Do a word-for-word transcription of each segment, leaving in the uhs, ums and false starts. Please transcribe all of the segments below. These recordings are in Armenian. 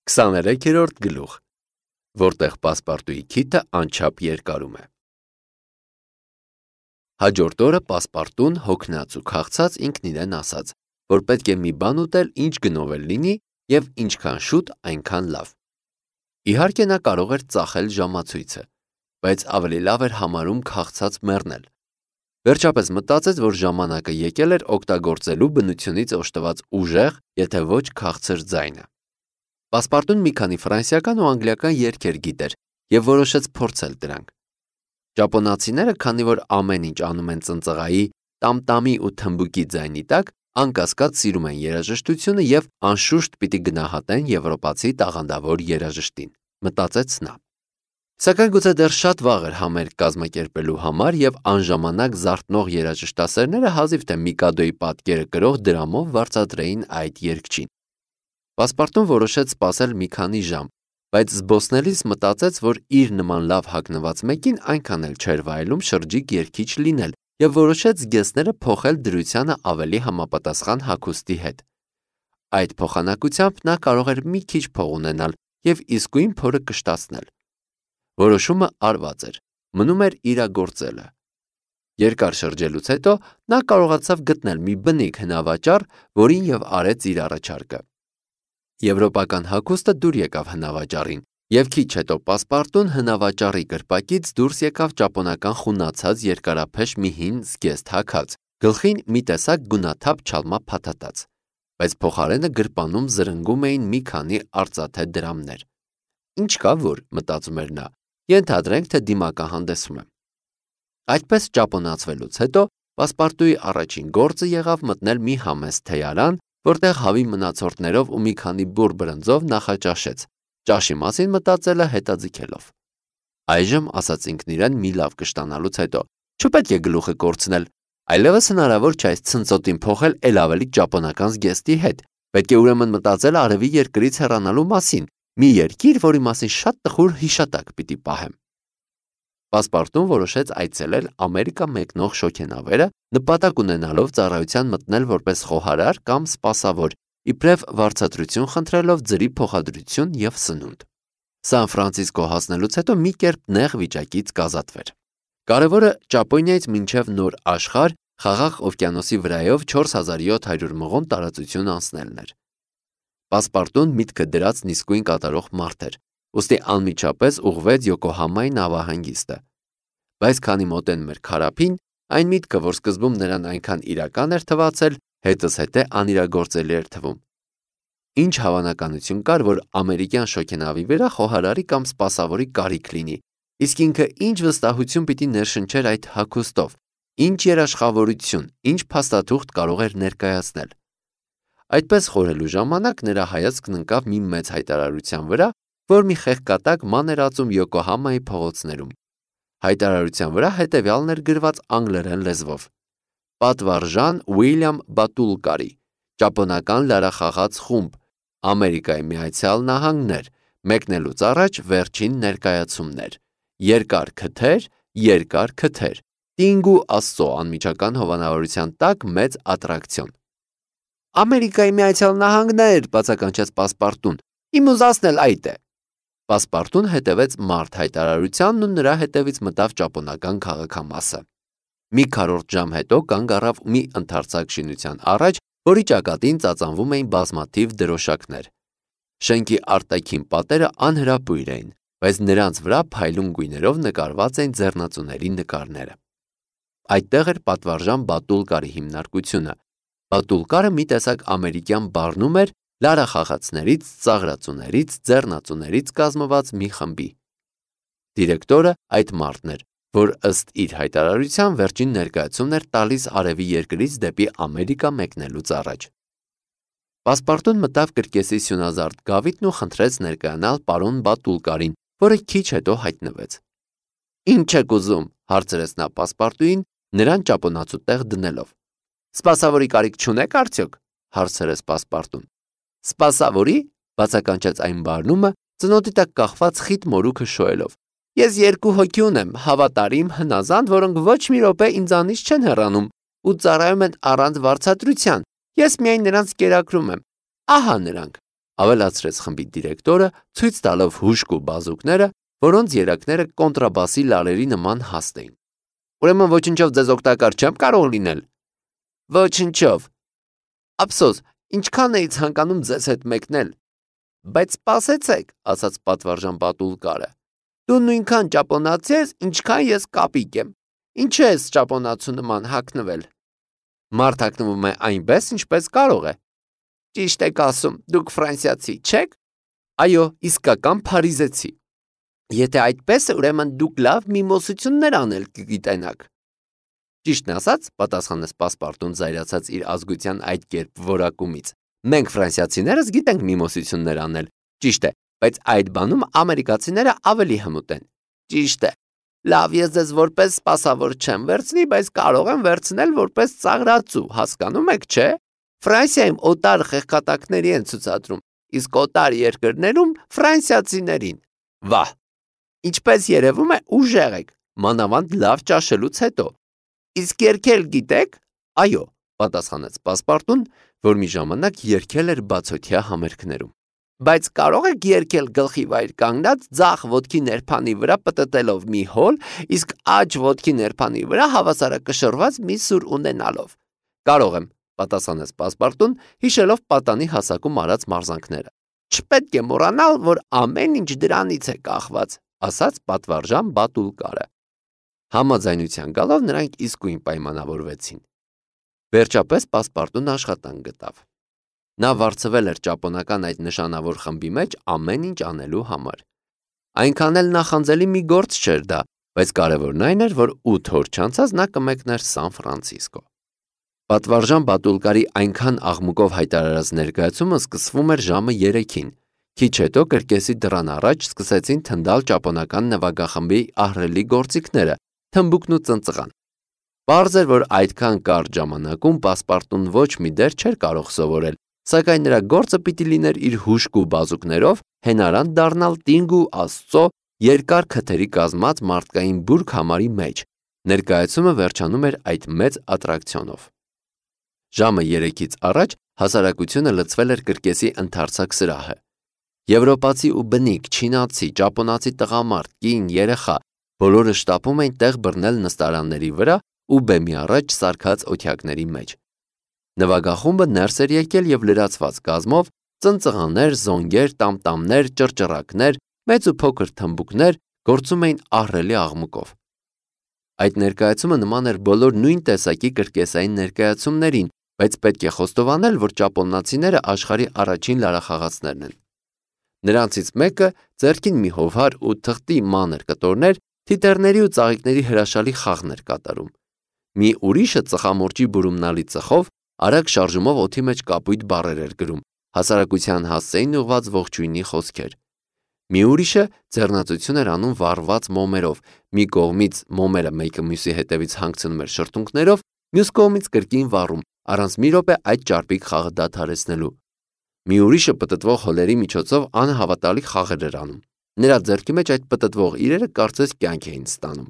քսաներեքերորդ գլուխ, որտեղ պասպարտուի քիթը անչափ երկարում է։ Հաջորդ օրը պասպարտուն հոգնած ու քաղցած ինքն իրեն ասաց, որ պետք է մի բան ուտել, ինչ գնով էլ լինի և ինչքան շուտ, այնքան լավ։ Իհարկե նա կարող էր ծախել ժամացույցը, բայց ավելի լավ էր համարում քաղցած մեռնել։ Վերջապես մտածեց, որ ժամանակը եկել էր օգտագործելու բնությունից օժտված ուժեղ, եթե ոչ քաղցր ձայնը։ Պասպարտուն մի քանի ֆրանսիական ու անգլիական երգեր գիտեր և որոշեց փորձել դրանք։ Ճապոնացիները, քանի որ ամեն ինչ անում են ծնծղայի, տամ-տամի ու թմբուկի ձայնի տակ, անկասկած սիրում են երաժշտությունը և անշուշտ պիտի գնահատեն եվրոպացի տաղանդավոր երաժշտին, մտածեց նա։ Սակայն գուցե դեռ շատ վաղ էր համերգ կազմակերպելու համար և անժամանակ զարթնող երաժշտասերները հազիվ թե Միկադոյի պատկերը կրող դրամով վարձատրեին այդ երգչին։ Պասպարտուն որոշեց սպասել մի քանի ժամ, բայց զբոսնելիս մտածեց, որ իր նման լավ հագնված մեկին այնքան էլ չէր վայելում շրջիկ երգիչ լինել և որոշեց զգեստները փոխել դրությանը ավելի համապատասխան հագուստի հետ։ Այդ փոխանակությամբ նա կարող էր մի քիչ փող ունենալ և իսկույն փորը կշտացնել։ Որոշումը արված էր, մնում էր իրագործելը։ Երկար շրջելուց հետո նա կարողացավ գտնել մի բնիկ հնավաճառ, որին և արեց իր առաջարկը։ Եվրոպական հագուստը դուր եկավ հնավաճառին, և քիչ հետո պասպարտուն հնավաճառի գրպակից դուրս եկավ ճապոնական խունացած երկարափեշ մի հին զգեստ հագած, գլխին մի տեսակ գունաթափ չալմա փաթաթած, բայց փոխարենը գրպանում զրնգում էին մի քանի արծաթե դրամներ։ Ինչ կա որ, մտածում էր նա, ենթադրենք, թե դիմակահանդեսում եմ։ Այդպես ճապոնացվելուց հետո պասպարտուի առաջին գործը եղավ մտնել մի համեստ թեյարան, որտեղ հավի մնացորդներով ու մի քանի բուռ բրնձով նախաճաշեց, ճաշի մասին մտածելը հետաձգելով։ Այժմ, ասաց ինքն իրեն մի լավ կշտանալուց հետո, չպետք է գլուխը կորցնել, այլևս հնարավոր չէ այս ցնծոտին փոխել էլ ավելի ճապոնական զգեստի հետ, պետք է ուրեմն մտածել արևի երկրից հեռանալու մասին, մի երկիր, որի մասին շատ տխուր հիշատակ պիտի պահեմ։ Պասպարտուն որոշեց այցելել Ամերիկա մեկնող շոգենավերը, նպատակ ունենալով ծառայության մտնել որպես խոհարար կամ սպասավոր, իբրև վարձատրություն խնդրելով ձրի փոխադրություն և սնունդ։ Սան Ֆրանցիսկո հասնելուց հետո մի կերպ նեղ վիճակից կազատվեր։ Կարևորը Ճապոնիայից մինչև Նոր Աշխարհ Խաղաղ օվկիանոսի վրայով չորս հազար յոթ հարյուր մղոն տարածություն անցնելն էր։ Պասպարտուն միտքը դրած նիսկույն կատարող մարդ էր, ուստի անմիջապես ուղղվեց Յոկոհամայի նավահանգիստը։ Բայց քանի մոտենում էր քարափին, այն միտքը, որ սկզբում նրան այնքան իրական էր թվացել, հետզհետե անիրագործելի էր թվում։ Ինչ հավանականություն կար, որ ամերիկյան շոգենավի վրա խոհարարի կամ սպասավորի կարիք լինի, իսկ ինքը ինչ վստահություն պիտի ներշնչեր այդ հագուստով, ինչ երաշխավորություն, ինչ փաստաթուղթ կարող էր ներկայացնել։ Այդպես խորհելու ժամանակ նրա հայացքն ընկավ մի մեծ հայտարարության վրա, որ մի խեղկատակ ման էր ածում Յոկոհամայի փողոցներում։ Հայտարարության վրա հետևյալն էր գրված անգլերեն լեզվով. Պատվարժան Ուիլյամ Բատուլկարի, ճապոնական լարախաղաց խումբ, Ամերիկայի Միացյալ Նահանգներ, մեկնելուց առաջ վերջին ներկայացումներ, երկար քթեր, երկար քթեր, Տինգու Աստծո անմիջական հովանավորության տակ մեծ ատրակցիոն։ Ամերիկայի Միացյալ Նահանգներ, բացականչեց Պասպարտուն, իմ ուզածն էլ այդ է։ Պասպարտուն հետևեց մարդ հայտարարությանն ու նրա հետևից մտավ ճապոնական քաղաքամասը։ Մի քառորդ ժամ հետո կանգ առավ մի ընդարձակ շինության առաջ, որի ճակատին ծածանվում էին բազմաթիվ դրոշակներ։ Շենքի արտաքին պատերը անհրապույր էին, բայց նրանց վրա փայլուն գույներով նկարված էին ձեռնածուների նկարները։ Այդտեղ էր պատվարժան Բատուլկարի հիմնարկությունը։ Բատուլկարը մի տեսակ ամերիկյան բառնում էր լարախաղացներից, ծաղրածուներից, ձեռնածուներից կազմված մի խմբի։ Դիրեկտորը այդ մարդն էր, որ ըստ իր հայտարարության վերջին ներկայացումն էր տալիս արևի երկրից դեպի Ամերիկա մեկնելուց առաջ։ Պասպարտուն մտավ կրկեսի սյունազարդ գավիթն ու խնդրեց ներկայանալ պարոն Բատուլկարին, որը քիչ հետո հայտնվեց։ Ինչ եք ուզում, հարցրեց նա Պասպարտուին, նրան ճապոնացու տեղ դնելով։ Սպասավորի կարիք չունեք արդյոք, հարցրեց Պասպարտուն։ Սպասավորի, բացականչեց այն բառնումը, ծնոտի տակ կախված խիտ մորուքը շոյելով։ Ես երկու հոգի ունեմ, հավատարիմ, հնազանդ, որոնք ոչ մի րոպե ինձանից չեն հեռանում ու ծառայում են առանց վարձատրության։ Ես միայն նրանց կերակրում եմ։ Ահա նրանք։ ավելացրեց խմբի դիրեկտորը, ցույց տալով հուշկ ու բազուկները, որոնց երակները կոնտրաբասի լարերի նման հաստ էին։ Ուրեմն ոչնչով ձեզ օգտակար չեմ կարող լինել։ Ոչնչով։ Ափսոս, ինչքան էի ցանկանում ձեզ հետ մեկնել։ Բայց սպասեցեք, ասաց պատվարժան Բատուլկարը։ Դու նույնքան ճապոնացի ես, ինչքան ես կապիկ եմ։ Ինչ ես ճապոնացու նման հագնվել։ Մարդ հագնվում է այնպես, ինչպես կարող է։ Ճիշտ եք ասում, դուք ֆրանսիացի չեք։ Այո, իսկական փարիզեցի։ Եթե այդպես է, ուրեմն դուք լավ միմոսություններ անել կգիտենաք։ Ճիշտն ասած, պատասխանեց Պասպարտուն զայրացած իր ազգության այդ կերպ որակումից։ Մենք ֆրանսիացիներս գիտենք միմոսություններ անել։ Ճիշտ է, բայց այդ բանում ամերիկացիները ավելի հմուտ են։ Ճիշտ է։ Լավ, ես ձեզ որպես սպասավոր չեմ վերցնի, բայց կարող եմ վերցնել որպես ծաղրածու, հասկանում եք, չէ։ Ֆրանսիայում օտար խեղկատակների են ցուցադրում, իսկ օտար երկրներում ֆրանսիացիներին։ Վահ։ Ինչպես երևում է, ուժեղ եք, մանավանդ լավ ճաշելուց հետո։ Իսկ երգել գիտեք։ Այո, պատասխանեց Պասպարտուն, որ մի ժամանակ երգել էր բացօթյա համերգներում։ Բայց կարող եք երգել գլխի վայր կանգնած ձախ ոտքի ներփանի վրա պտտելով մի հոլ, իսկ աջ ոտքի ներփանի վրա հավասարակշռված մի սուր ունենալով։ Կարող եմ, պատասխանեց Պասպարտուն, հիշելով պատանի հասակում արած մարզանքները։ Չպետք է մոռանալ, որ ամեն ինչ դրանից է կախված, ասաց պատվարժան Բատուլկարը։ Համաձայնության գալով նրանք իսկույն պայմանավորվեցին։ Վերջապես Պասպարտուն աշխատանք գտավ։ Նա վարձվել էր ճապոնական այդ նշանավոր խմբի մեջ ամեն ինչ անելու համար։ Այնքան էլ նախանձելի մի գործ չէր դա, բայց կարևորն այն էր, որ ութ օր չանցած նա կմեկներ Սան Ֆրանցիսկո։ Պատվարժան Բատուլկարի այնքան աղմուկով հայտարարած ներկայացումը սկսվում էր ժամը երեքին։ Քիչ հետո կրկեսի դռան առաջ սկսեցին թնդալ ճապոնական նվագախմբի ահռելի գործիքները, թմբուկն ու ծնծղան։ Պարզ էր, որ այդքան կարճ ժամանակում Պասպարտուն ոչ մի դեր չէր կարող սովորել, սակայն նրա գործը պիտի լիներ իր հուշկ ու բազուկներով հենարան դառնալ Տինգու Աստծո երկար քթերի կազմած մարդկային բուրգ համարի մեջ։ Ներկայացումը վերջանում էր այդ մեծ ատրակցիոնով։ Ժամը երեքից առաջ հասարակությունը լցվել էր կրկեսի ընդարձակ սրահը։ Եվրոպացի ու բնիկ, չինացի, ճապոնացի տղամարդ, կին, երեխա, բոլորը շտապում էին տեղ բռնել նստարանների վրա ու բեմի առաջ սարքած օթյակների մեջ։ Նվագախումբը ներս էր եկել եւ լրացված կազմով, ծնծղաներ, զոնգեր, տամտամներ, ճռճռակներ, մեծ ու փոքր թմբուկներ գործում էին ահռելի աղմուկով։ Այդ ներկայացումը նման էր բոլոր նույն տեսակի կրկեսային ներկայացումներին, բայց պետք է խոստովանել, որ ճապոնացիները աշխարհի առաջին լարախաղացներն են։ Նրանցից մեկը ձեռքին մի հովհար ու թղթի մանր կտորներ, թիթեռների ու ծաղիկների հրաշալի խաղն էր կատարում։ Մի ուրիշը ծխամորճի բուրումնալի ծխով արագ շարժումով օդի մեջ կապույտ բառեր էր գրում, հասարակության հասցեին ուղված ողջույնի խոսքեր։ Մի ուրիշը ձեռնացություն էր անում վառված մոմերով, մի կողմից մոմերը մեկը մյուսի հետևից հանգցնում էր շրթունքներով, մյուս կողմից կրկին վառում, առանց մի րոպե այդ ճարպիկ խաղը դադարեցնելու։ Մի ուրիշը պտտվող հոլերի միջոցով անհավատալի խաղեր էր անում։ Նրա ձեռքի մեջ այդ պտտվող իրերը կարծես կյանք էին ստանում։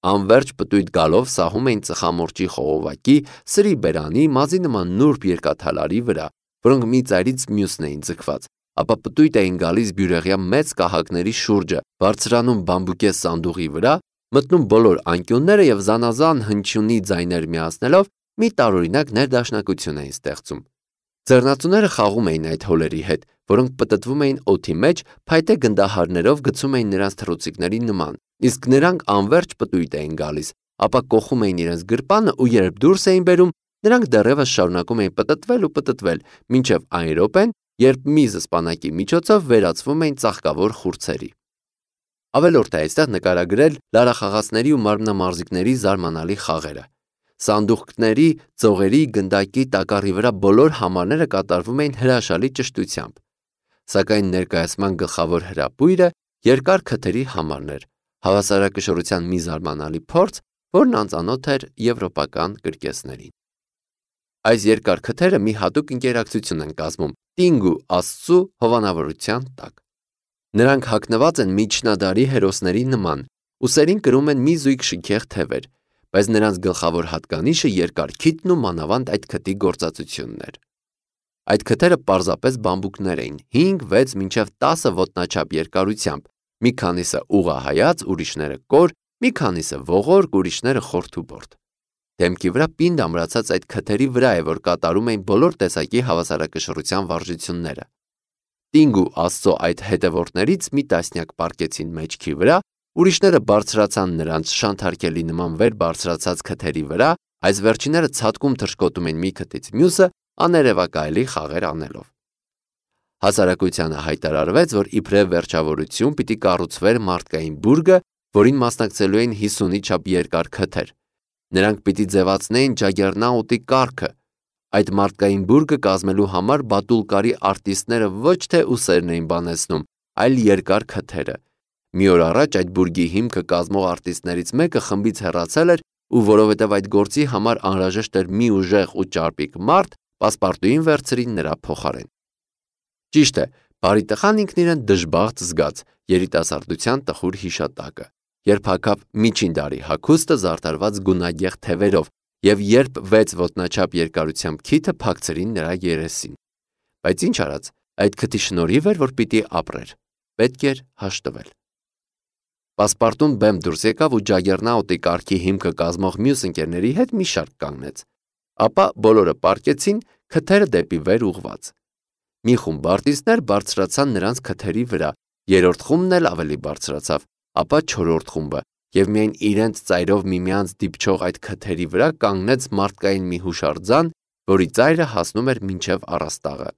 Անverջ պտույտ գալով սահում էին ծխամորճի խողովակի, սրի բերանի, մազի նման նուրբ երկաթալարի վրա, որոնք մի ծայրից մյուսն էին ձգված, ապա պտույտ էին գալիս բյուրեղյա մեծ կահակների շուրջը, բարձրանում բամբուկե սանդուղի վրա, մտնում բոլոր անկյունները եւ զանազան հնչյունի ձայներ միացնելով մի տարօրինակ ներդաշնակություն էին ստեղծում։ Ձեռնածուները խաղում էին այդ հոլերի հետ, որոնք պտտվում էին օդի մեջ, փայտե գնդահարներով գցում էին նրանց թռուցիկների նման, իսկ նրանք անverջ պտույտ էին գալիս, ապա կոխում էին իրենց գրպանը ու երբ դուրս էին բերում, նրանք դեռևս շարունակում էին պտտվել ու պտտվել, մինչև այն րոպեն, երբ մի զսպանակի միջոցով վերածվում էին ծաղկավոր խուրձերի։ Ավելորդ է այստեղ նկարագրել լարախաղացների ու մարմնամարզիկների զարմանալի խաղերը։ Սանդուղքների, ծողերի, գնդակի, տակառի վրա բոլոր համարները կատարվում էին հրաշալի ճշտությամբ։ Սակայն ներկայացման գլխավոր հրապույրը երկար քթերի համարն էր, հավասարակշռության մի զարմանալի փորձ, որն անծանոթ էր եվրոպական կրկեսներին։ Այս երկար քթերը մի հատուկ ինտերակցիոն են կազմում Տինգու Աստծու հովանավորության տակ։ Նրանք հագնված են միջնադարի հերոսների նման, ուսերին կրում են մի զույգ շքեղ թևեր, բայց նրանց գլխավոր հատկանիշը երկար քիթն ու մանավանդ այդ քթի գործածությունն էր։ Այդ քթերը պարզապես բամբուկներ էին, հինգ, վեց մինչև տասը ոտնաչափ երկարությամբ, մի քանիսը ուղղահայաց, ուրիշները կոր, մի քանիսը ողորկ, ուրիշները խորթուբորդ։ Դեմքի վրա պինդ ամրացած այդ քթերի վրա է, որ կատարում էին բոլոր տեսակի հավասարակշռության վարժությունները։ Տինգ ու Աստծո այդ հետևորդներից մի տասնյակ պառկեցին մեջքի վրա, ուրիշները բարձրացան նրանց շանթարկելի նման վեր բարձրացած քթերի վրա, այս վերջինները ցատկում թռչկոտում էին մի քթից մյուսը, աներևակայելի խաղեր անելով։ Հասարակությանը հայտարարվեց, որ իբրև վերջավորություն պիտի կառուցվեր մարդկային բուրգը, որին մասնակցելու էին հիսունի չափ երկար քթեր։ Նրանք պիտի ձևացնեին ջագերնաուտի կառքը։ Այդ մարդկային բուրգը կազմելու համար բատուլկարի արտիստները ոչ թե ուսերն էին բանեցնում, այլ երկար քթերը։ Մի օր առաջ այդ բուրգի հիմքը կազմող արտիստներից մեկը խմբից հեռացել էր, ու որովհետև այդ գործի համար անհրաժեշտ էր մի ուժեղ ու ճարպիկ մարդ, պասպարտուին վերցրին նրա փոխարեն։ Ճիշտ է, բարի տղան ինքն իրեն դժբախտ զգաց երիտասարդության տխուր հիշատակը, երբ հագավ միջին դարի հագուստը զարդարված գունագեղ թևերով և երբ վեց ոտնաչափ երկարությամբ քիթը փակցրին նրա երեսին։ Բայց ինչ արած, այդ քթի շնորհիվ էր, որ պիտի ապրեր, պետք էր հաշտվել։ Պասպարտուն բեմ դուրս եկավ ու ջագերնաուտի կառքի հիմքը կազմող մյուս ընկերների հետ մի շարք կանգնեց։ Ապա բոլորը պառկեցին, քթերը դեպի վեր ուղղված։ Մի խումբ արտիստներ բարձրացան նրանց քթերի վրա, երրորդ խումբն էլ ավելի բարձրացավ, ապա չորրորդ խումբը, և միայն իրենց ծայրով միմյանց դիպչող այդ քթերի վրա կանգնեց մարդկային մի հուշարձան, որի ծայրը հասնում էր մինչև առաստաղը։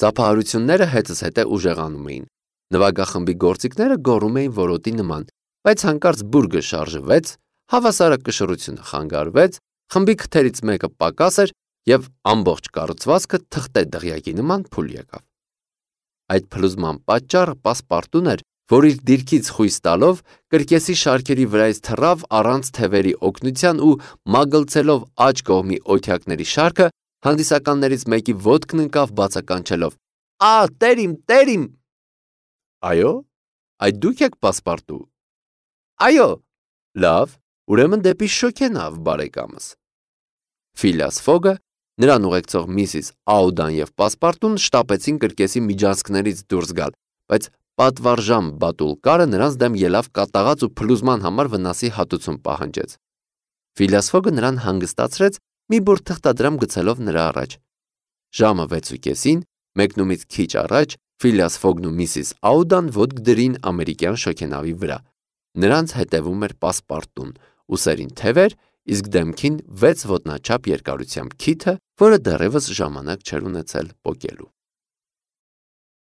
Ծափահարությունները հետզհետե ուժեղանում էին։ Նվագախմբի գործիքները գոռում էին որոտի նման, բայց հանկարծ բուրգը շարժվեց, հավասարակշռությունը խանգարվեց, խմբի քթերից մեկը պակաս էր և ամբողջ կառուցվածքը թղթե դղյակի նման փուլ եկավ։ Այդ փլուզման պատճառը պասպարտուն էր, որ իր դիրքից խույս տալով կրկեսի շարքերի վրայից թռավ առանց թևերի օգնության ու մագլցելով աջ կողմի օթյակների շարքը, հանդիսականներից մեկի ոտքն ընկավ բացականչելով. «Ա, տեր իմ, տեր իմ»։ Այո, այդ դուք եք պասպարտու։ Այո, լավ, ուրեմն դեպի Շոքենավ, բարեկամս։ Ֆիլիաս Ֆոգը, նրան ուղեկցող միսիս Աուդան և պասպարտուն շտապեցին կրկեսի միջանցքներից դուրս գալ, բայց պատվարժան բատուլկարը նրանց դեմ ելավ կատաղած ու փլուզման համար վնասի հատուցում պահանջեց։ Ֆիլիաս Ֆոգը նրան հանգստացրեց, մի բուռ թղթադրամ գցելով նրա առաջ։ Ժամը վեցուկեսին, մեկնումից քիչ առաջ, Ֆիլիաս Ֆոգն ու միսիս Աուդան ոտք դրին ամերիկյան շոքենավի վրա։ Նրանց հետևում էր պասպարտուն, ուսերին թևեր, իսկ դեմքին վեց ոտնաչափ երկարությամբ քիթը, որը դեռևս ժամանակ չէր ունեցել պոկելու։